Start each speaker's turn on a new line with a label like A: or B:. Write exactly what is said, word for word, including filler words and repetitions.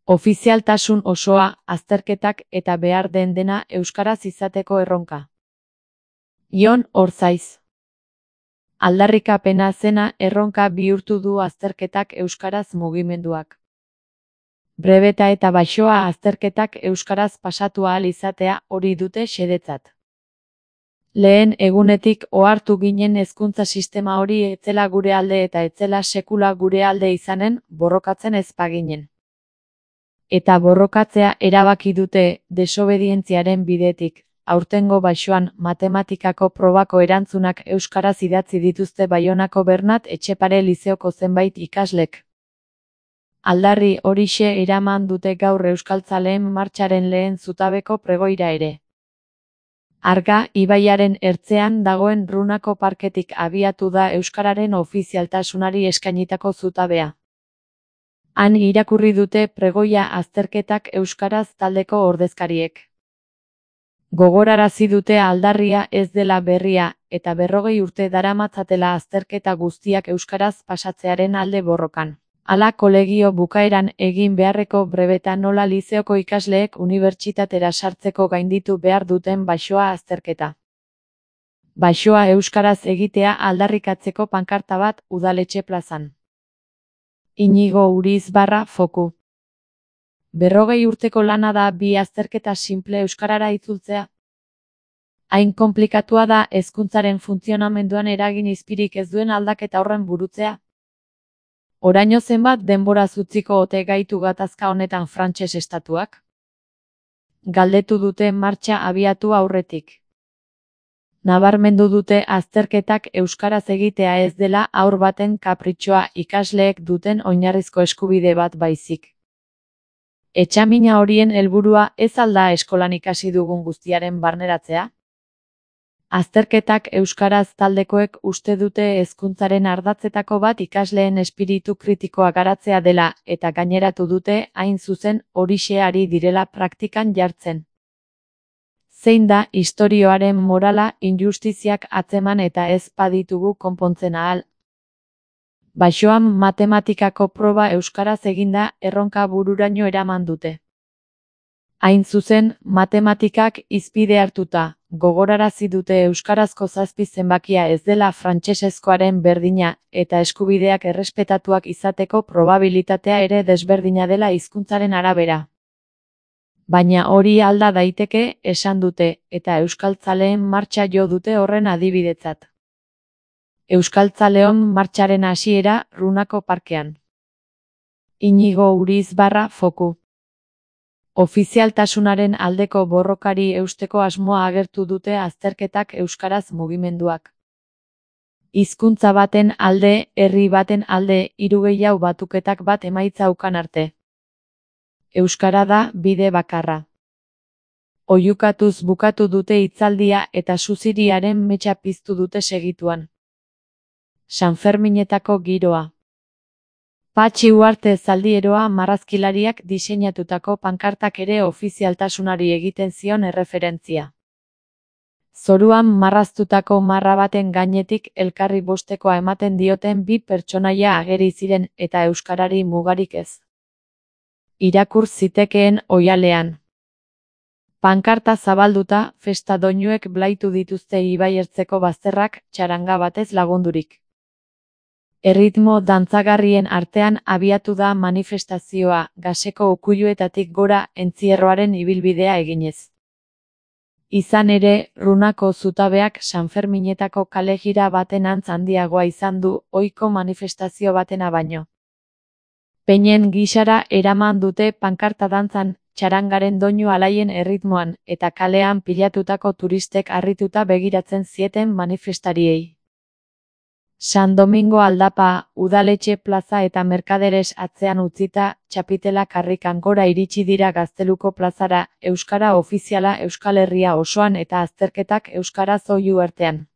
A: Ofizialtasun osoa, azterketak eta behar den dena euskaraz izateko erronka. Jon Orzaiz. Aldarrikapena zena erronka bihurtu du azterketak euskaraz mugimenduak. Brebeta eta baxoa azterketak euskaraz pasatu ahal izatea hori dute xedetzat. Lehen egunetik ohartu ginen hezkuntza sistema hori etzela gure alde eta etzela sekula gure alde izanen, borrokatzen ez baginen. Eta borrokatzea erabaki dute desobedientziaren bidetik. Aurtengo baxoan matematikako probako erantzunak euskaraz idatzi dituzte Baionako Bernat Etxepare Lizeoko zenbait ikaslek. Aldarri horixe eraman dute gaur euskaltzaleen martxaren lehen zutabeko pregoira ere. Arga ibaiaren ertzean dagoen Runako parketik abiatu da euskararen ofizialtasunari eskainitako zutabea. Han irakurri dute pregoia azterketak euskaraz taldeko ordezkariek. Gogorarazi dute aldarria ez dela berria eta berrogei urte daramatzatela azterketa guztiak euskaraz pasatzearen alde borrokan. Hala kolegio bukaeran egin beharreko brebeta nola lizeoko ikasleek unibertsitatera sartzeko gainditu behar duten baxoa azterketa. Baxoa euskaraz egitea aldarrikatzeko pankarta bat udaletxe plazan. Inigo Uriz barra foku. Berrogei urteko lana da bi azterketa simple euskarara itzultzea. Hain konplikatua da hezkuntzaren funtzionamenduan eragin izpirik ez duen aldaketa horren burutzea. Oraino zenbat denbora utziko ote gaitu gatazka honetan frantses estatuak? Galdetu dute martxa abiatu aurretik. Nabarmendu dute azterketak euskaraz egitea ez dela haur baten kapritxoa ikasleek duten oinarrizko eskubide bat baizik. Etxamina horien helburua ez alda eskolan ikasi dugun guztiaren barneratzea? Azterketak euskaraz taldekoek uste dute hezkuntzaren ardatzetako bat ikasleen espiritu kritikoa garatzea dela eta gaineratu dute hain zuzen horixe ari direla praktikan jartzen. Zein da istorioaren morala injustiziak atzeman eta ez baditugu konpontzen ahal. Baxoan matematikako proba euskaraz eginda erronka bururaino eraman dute. Hain zuzen, matematikak hizpide hartuta, gogorarazi dute euskarazko zazpi zenbakia ez dela frantsesezkoaren berdina eta eskubideak errespetatuak izateko probabilitatea ere desberdina dela hizkuntzaren arabera. Baina hori alda daiteke esan dute eta euskaltzaleen martxa jo dute horren adibidetzat. Euskaltzaleon martxaren hasiera Runako parkean. Inigo Uriz barra foku. Ofizialtasunaren aldeko borrokari eusteko asmoa agertu dute azterketak euskaraz mugimenduak. Hizkuntza baten alde, herri baten alde, hiru gehiago batuketak bat emaitza ukan arte. Euskara da bide bakarra. Oihukatuz bukatu dute hitzaldia eta suziriaren metxa piztu dute segituan. Sanferminetako giroa. Patxi Uarte zaldieroa marrazkilariak diseinatutako pankartak ere ofizialtasunari egiten zion erreferentzia. Zoruan marraztutako marra baten gainetik elkarri bostekoa ematen dioten bi pertsonaia ageri ziren eta euskarari mugarik ez. Irakur zitekeen oihalean. Pankarta zabalduta, festa doinuek blaitu dituzte ibai ertzeko bazterrak txaranga batez lagundurik. Erritmo dantzagarrien artean abiatu da manifestazioa, gaseko ukuiluetatik gora entzierroaren ibilbidea eginez. Izan ere, Runako zutabeak Sanferminetako kalejira baten antz handiagoa izan du ohiko manifestazio batena baino. Peinen gisara eraman dute pankarta dantzan, txarangaren doinu alaien erritmoan, eta kalean pilatutako turistek harrituta begiratzen zieten manifestariei. San Domingo aldapa, udaletxe plaza eta merkaderes atzean utzita, txapitela karrikan gora iritsi dira Gazteluko plazara, euskara ofiziala Euskal Herria osoan eta azterketak euskaraz oihu artean.